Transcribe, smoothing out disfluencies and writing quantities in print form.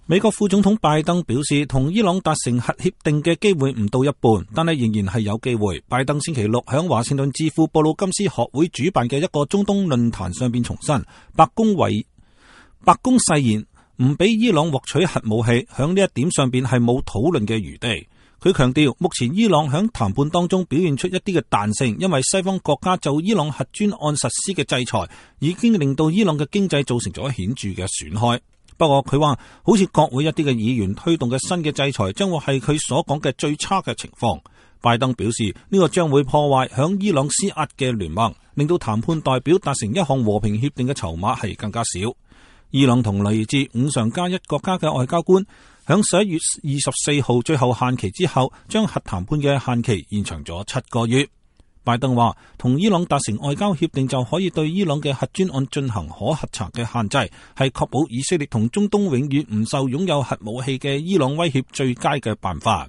美國副總統拜登表示，同伊朗達成核協定嘅機會唔到一半，但係仍然係有機會。拜登星期六響華盛頓智庫布魯金斯學會主辦嘅一個中東論壇上邊重申，白宮誓言唔俾伊朗獲取核武器，響呢一點上邊係冇討論嘅餘地。佢強調，目前伊朗響談判當中表現出一啲嘅彈性，因為西方國家就伊朗核專案實施嘅制裁，已經令到伊朗嘅經濟造成咗顯著嘅損害。不過佢話，好似國會一啲嘅議員推動嘅新嘅制裁，將會係佢所講嘅最差嘅情況。拜登表示，呢個將會破壞響伊朗施壓嘅聯盟，令到談判代表達成一項和平協定嘅籌碼係更加少。伊朗同嚟自5常加1國家嘅外交官響11月24號最後限期之後，將核談判嘅限期延長咗7個月。拜登話，同伊朗達成外交協定就可以對伊朗嘅核專案進行可核查嘅限制，係確保以色列同中東永遠唔受擁有核武器嘅伊朗威脅最佳嘅辦法。